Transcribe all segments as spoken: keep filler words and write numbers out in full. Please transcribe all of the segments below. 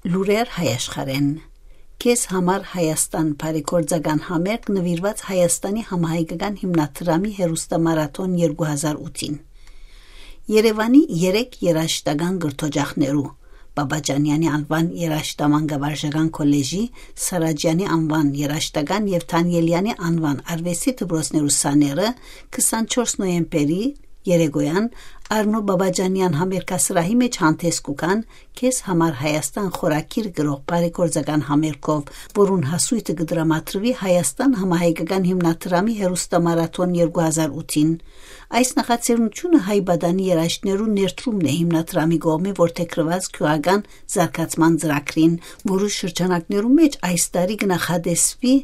Լուրեր հայաշխարհէն։ «Քեզ համար Հայաստան» բարեգործական համերգ նուիրուած Հայաստանի համահայկական հիմնադրամի հեռուստամարաթոն երկու հազար ութին։ Երեւանի երեք երաժշտական կրթօջախներու՝ Պապաճանյանի անուան երաժշտամանկավարժական քոլեժի, Սարաջյանի անուան երաժշտական եւ Թանիելյանի անուան արուեստի դպրոցներու սաները քսանչորս նոյեմբերի երեկոյան Արնո Պապաճանեան համերգասրահի մէջ հանդես կու գան «Քեզ համար Հայաստան» խորագիր կրող բարեգործական համերգով, որուն հասոյթը կը դրամատրուի Հայաստան համահայկական հիմնադրամի հեռուստամարաթոն երկու հազար ութին։ Այս նախաձեռնությունը հայ պատանի երաժիշտներու ներդրումն է հիմնադրամի կողմէ որդեգրուած գիւղական զարգացման ծրագրին, որու շրջանակներու մէջ այս տարի կը նախատեսուի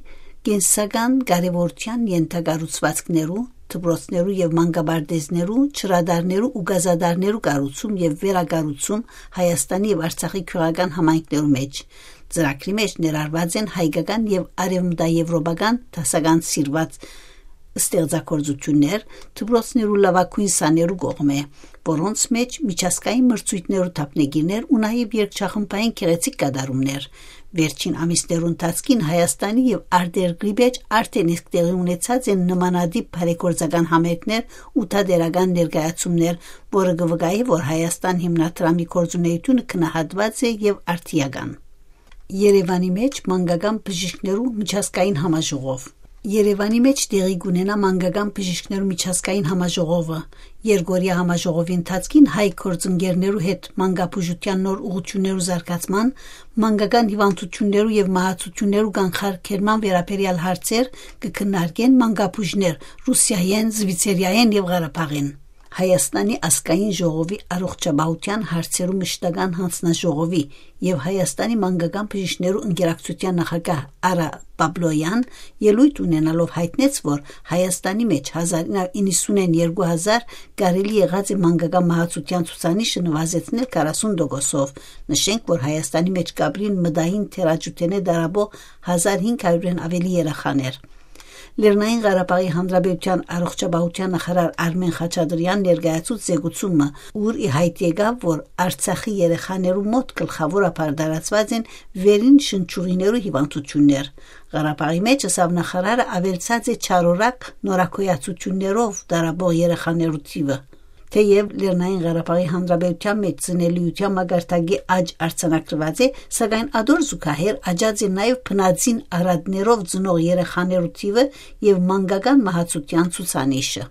կենսական կարեւորութեան ենթակառուցուածքներու, դպրոցներու եւ մանկապարտէզներու, ջրատարներու ու գազատարներու կառուցում եւ վերակառուցում Հայաստանի եւ Արցախի գիւղական համայնքներու մէջ։ Ծրագրի մէջ ներառուած են հայկական եւ արեւմտաեւրոպական դասական սիրուած ստեղծագործութիւններ դպրոցներու լաւագոյն սաներու կողմէ, որոնց մէջ միջազգային մրցոյթներու դափնեկիրներ ու նաեւ երկչախմբային գեղեցիկ կատարումներ։ Վերջին ամիսներու ընթացքին Հայաստանի եւ արտերկրի մէջ արդեն իսկ տեղի ունեցած են նմանատիպ բարեգործական համերգներ ու թատերական ներկայացումներ, որը կը վկայէ, որ Հայաստան հիմնադրամի գործունեութիւնը գնահատուած է եւ արդիական։ Երեւանի մէջ մանկական բժիշկներու միջազգային համաժողով։ Երեւանի մէջ տեղի կունենայ մանկական բժիշկներու միջազգային համաժողովը։ Երկօրեայ համաժողովի ընթացքին հայ գործընկերներու հետ մանկաբուժութեան նոր ուղղութիւններու զարգացման, մանկական հիւանդութիւններու եւ մահացութիւններու կանխարգելման վերաբերեալ հարցեր կը քննարկեն մանկաբուժներ Ռուսիայէն, Զուիցերիայէն եւ Ղարաբաղէն։ Հայաստանի ազգային ժողովի առողջապահութեան հարցերու մշտական յանձնաժողովի եւ Հայաստանի մանկական բժիշկներու ընկերակցութեան նախագահ Արա Պապլոյեան ելոյթ ունենալով յայտնեց, որ Հայաստանի մէջ հազար իննսունէն երկու հազար կարելի եղած է մանկական մահացութեան ցուցանիշը նվազեցնել քառասուն տոկոսով։ Նշենք, որ Հայաստանի մէջ կապրին մտային թերաճութենէ տառապող հազար հինգ հարիւրէն աւելի երեխաներ։ Լեռնային Ղարաբաղի Հանրապետութեան առողջապահութեան նախարար Արմէն Խաչատրեան ներկայացուց զեկուցումը, ուր ի յայտ եկաւ, որ Արցախի երեխաներու մօտ գլխաւորաբար տարածուած են վերին շնչուղիներու հիւանդութիւններ։ Ղարաբաղի մէջ, ըսաւ նախարարը, աւելցած է չարորակ նորագոյացութիւններով տառապող երեխաներու թիւը։ Թէեւ Լեռնային Ղարաբաղի Հանրապետութեան մէջ ծնելիութեան մակարդակի աճ արձանագրուած է, սակայն ատոր զուգահեռ աճած է նաեւ բնածին արհատներով ծնող երեխաներու թիւը եւ մանկական մահացութեան ցուցանիշը։